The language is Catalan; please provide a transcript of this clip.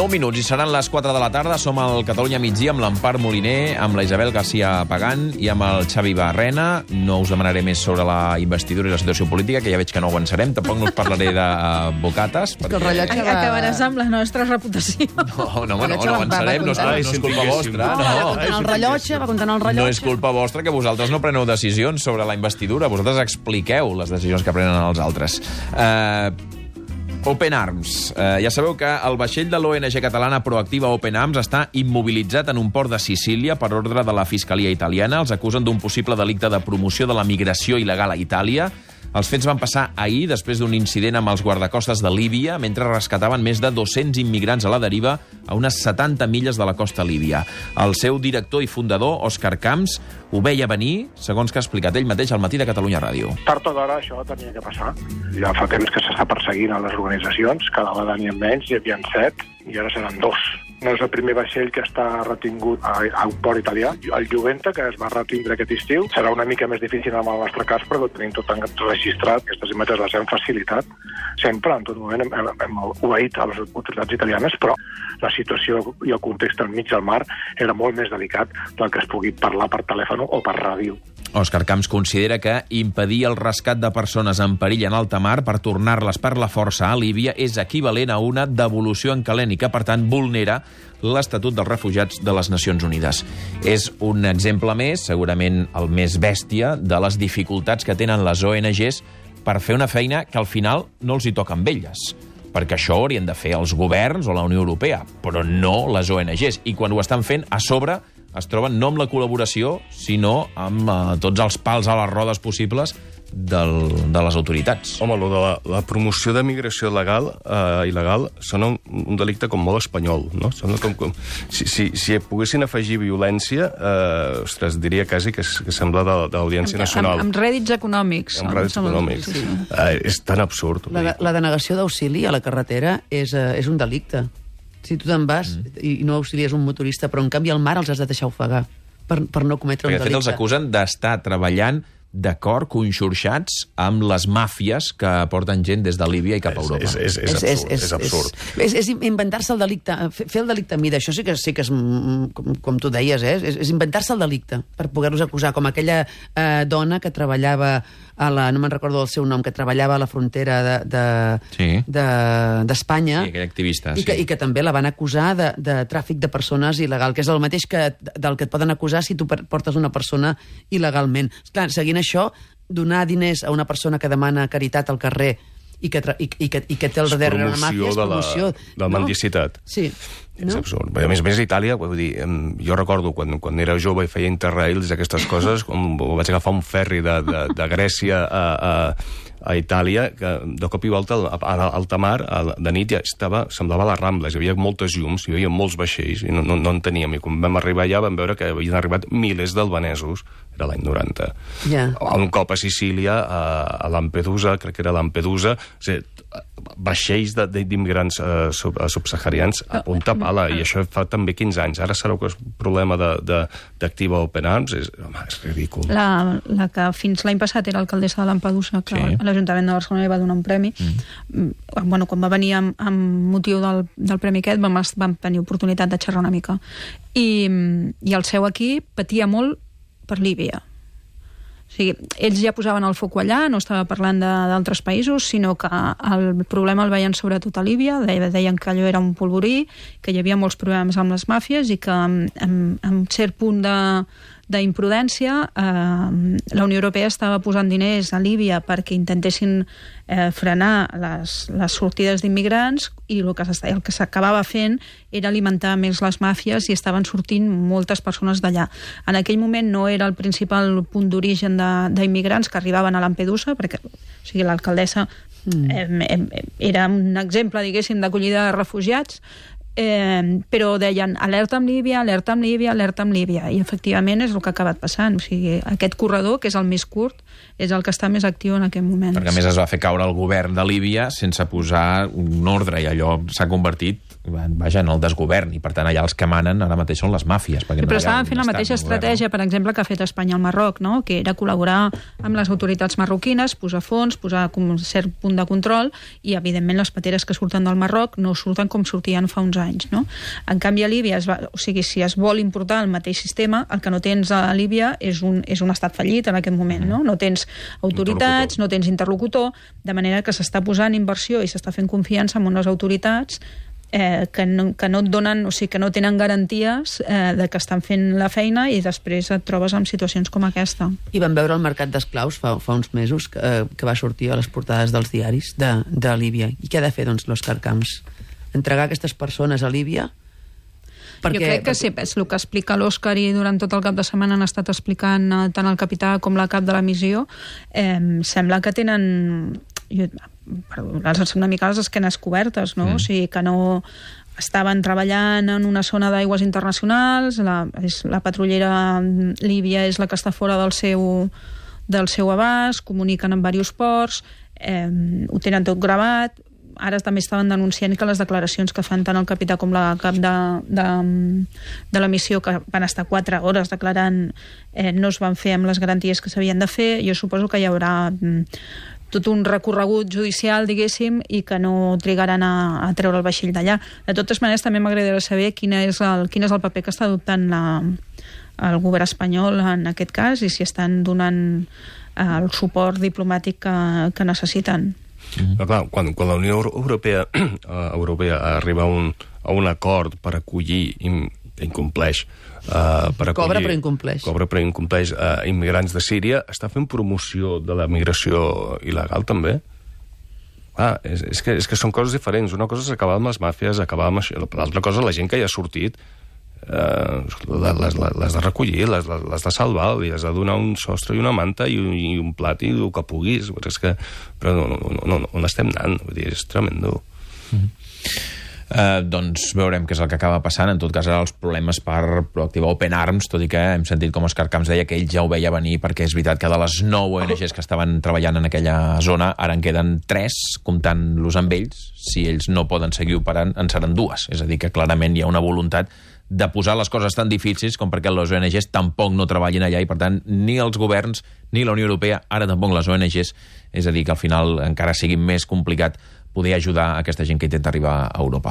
9 minuts i seran les 4 de la tarda. Som al Catalunya migdia amb l'Empar Moliner, amb la Isabel García Pagán i amb el Xavi Barrena. No us demanaré més sobre la investidura i la situació política, que ja veig que no ho avançarem. Tampoc no us parlaré de bocates. Perquè... El rellotge va... Acabaràs amb la nostra reputació. No avançarem. No és culpa vostra. Va comptant el rellotge. No és culpa vostra que vosaltres no preneu decisions sobre la investidura. Vosaltres expliqueu les decisions que prenen els altres. Open Arms. Ja sabeu que el vaixell de l'ONG catalana Proactiva Open Arms està immobilitzat en un port de Sicília per ordre de la Fiscalia italiana. Els acusen d'un possible delicte de promoció de la migració il·legal a Itàlia. Els fets van passar ahir, després d'un incident amb els guardacostes de Líbia, mentre rescataven més de 200 immigrants a la deriva a unes 70 milles de la costa líbia. El seu director i fundador, Òscar Camps, ho veia venir, segons que ha explicat ell mateix al Matí de Catalunya Ràdio. Tard o d'hora això tenia que passar. Ja fa temps que s'està perseguint a les organitzacions, cada vegada n'hi ha menys, hi havia 7 i ara seran 2. No és el primer vaixell que està retingut a un port italià. El Juventa, que es va retindre aquest estiu, serà una mica més difícil en el nostre cas, perquè ho tenim tot registrat. Aquestes imatges les hem facilitat. Sempre, en tot moment, hem obeït a les autoritats italianes, però la situació i el context al mig del mar era molt més delicat del que es pugui parlar per telèfon o per ràdio. Òscar Camps considera que impedir el rescat de persones en perill en alta mar per tornar-les per la força a Líbia és equivalent a una devolució en calent i que, per tant, vulnera l'Estatut dels Refugiats de les Nacions Unides. És un exemple més, segurament el més bèstia, de les dificultats que tenen les ONGs per fer una feina que al final no els hi toca amb elles. Perquè això ho haurien de fer els governs o la Unió Europea, però no les ONGs. I quan ho estan fent, a sobre es troben no amb la col·laboració, sinó amb tots els pals a les rodes possibles de les autoritats. Home, la promoció de migració il·legal sona un delicte com molt espanyol, no? Sona com si poguessin afegir violència, ostres, diria quasi que sembla de l'Audiència Nacional. Amb rèdits econòmics. Amb rèdits econòmics. Sí. És tan absurd. La denegació d'auxili a la carretera és un delicte. Si tu te'n vas i no auxilies un motorista, però en canvi al mar els has de deixar ofegar per no cometre un delicte. De fet, els acusen d'estar treballant d'acord, conxorxats amb les màfies que porten gent des de Líbia i cap a Europa. És absurd. És inventar-se el delicte, fer el delicte a mida. Això sí que és com tu deies, és inventar-se el delicte per poder-los acusar, com aquella dona que treballava no me'n recordo el seu nom, que treballava a la frontera d'Espanya. Sí, aquell activista, sí. I que també la van acusar de tràfic de persones il·legal, que és el mateix del que et poden acusar si tu portes una persona il·legalment. Clar, seguint això, donar diners a una persona que demana caritat al carrer i que té al darrere una màfia és promoció de la mendicitat. Sí. És absurd. A més a Itàlia, vull dir, jo recordo quan era jove i feia interrails, aquestes coses, quan vaig agafar un ferri de Grècia a Itàlia, que de cop i volta a alta mar, de nit ja semblava les Rambles, hi havia moltes llums, hi havia molts vaixells, i no en teníem. I quan vam arribar allà vam veure que havien arribat milers d'albanesos, era l'any 90. Un cop a Sicília, a Lampedusa, crec que era Lampedusa, vaixells d'immigrants subsaharians a punta pala, i això fa també 15 anys. Ara sabeu que és un problema d'Activa Open Arms, és ridícul. La que fins l'any passat era alcaldessa de Lampedusa, que a l'Ajuntament de Barcelona li va donar un premi. Quan va venir amb motiu del premi aquest, vam tenir oportunitat de xerrar una mica. I el seu equip patia molt per Líbia. O sigui, ells ja posaven el foc allà, no estava parlant d'altres països, sinó que el problema el veien sobretot a Líbia, deien que allò era un polvorí, que hi havia molts problemes amb les màfies i que amb cert punt d'imprudència la Unió Europea estava posant diners a Líbia perquè intentessin frenar les sortides d'immigrants i el que s'acabava fent era alimentar més les màfies i estaven sortint moltes persones d'allà. En aquell moment no era el principal punt d'origen d'immigrants que arribaven a Lampedusa, perquè l'alcaldessa era un exemple, diguéssim, d'acollida de refugiats, però deien alerta amb Líbia, alerta amb Líbia, alerta amb Líbia, i efectivament és el que ha acabat passant. O sigui, aquest corredor, que és el més curt, és el que està més actiu en aquest moment. Perquè a més es va fer caure el govern de Líbia sense posar un ordre, i allò s'ha convertit vaja, en el desgovern, i per tant allà els que manen ara mateix són les màfies. Però estaven fent la mateixa estratègia, per exemple, que ha fet Espanya al Marroc, no? Que era col·laborar amb les autoritats marroquines, posar fons, posar un cert punt de control, i evidentment les pateres que surten del Marroc no surten com sortien fa uns anys, no? En canvi a Líbia, si es vol importar el mateix sistema, el que no tens a Líbia és un estat fallit en aquest moment, no? No tens autoritats, no tens interlocutor, de manera que s'està posant inversió i s'està fent confiança en unes autoritats que no et donen, o sigui, que no tenen garanties de que estan fent la feina, i després et trobes en situacions com aquesta. I vam veure el mercat d'esclaus fa uns mesos que va sortir a les portades dels diaris de Líbia. I què ha de fer, doncs, l'Òscar Camps? Entregar aquestes persones a Líbia? Jo crec que sí, és el que explica l'Òscar, i durant tot el cap de setmana han estat explicant tant el capità com la cap de la missió. Sembla que tenen... una mica les esquenes cobertes, no? O sigui, que no estaven treballant en una zona d'aigües internacionals, la patrullera líbia és la que està fora del seu abast, comuniquen amb diversos ports, ho tenen tot gravat. Ara també estaven denunciant que les declaracions que fan tant el capità com la cap de la missió, que van estar 4 hores declarant, no es van fer amb les garanties que s'havien de fer. Jo suposo que hi haurà tot un recorregut judicial, diguéssim, i que no trigaran a treure el vaixell d'allà. De totes maneres, també m'agradaria saber quin és el paper que està adoptant el govern espanyol en aquest cas, i si estan donant el suport diplomàtic que necessiten. Però clar, quan la Unió Europea arriba a un acord per acollir incompleix cobra però incompleix immigrants de Síria, està fent promoció de la migració il·legal també? És que són coses diferents. Una cosa és acabar amb les màfies, acabar amb això. L'altra cosa, la gent que hi ha sortit les de recollir, les de salvar, li has de donar un sostre i una manta i un plat i el que puguis. Però no, on estem anant? Vull dir, és tremendo. Doncs veurem què és el que acaba passant. En tot cas, ara els problemes per Proactiva Open Arms, tot i que hem sentit com Òscar Camps deia que ell ja ho veia venir, perquè és veritat que de les 9 ONGs que estaven treballant en aquella zona, ara en queden 3, comptant-los amb ells. Si ells no poden seguir operant, en seran 2. És a dir, que clarament hi ha una voluntat de posar les coses tan difícils com perquè les ONGs tampoc no treballin allà, i per tant ni els governs ni la Unió Europea, ara tampoc les ONGs, és a dir, que al final encara sigui més complicat poder ajudar aquesta gent que intenta arribar a Europa.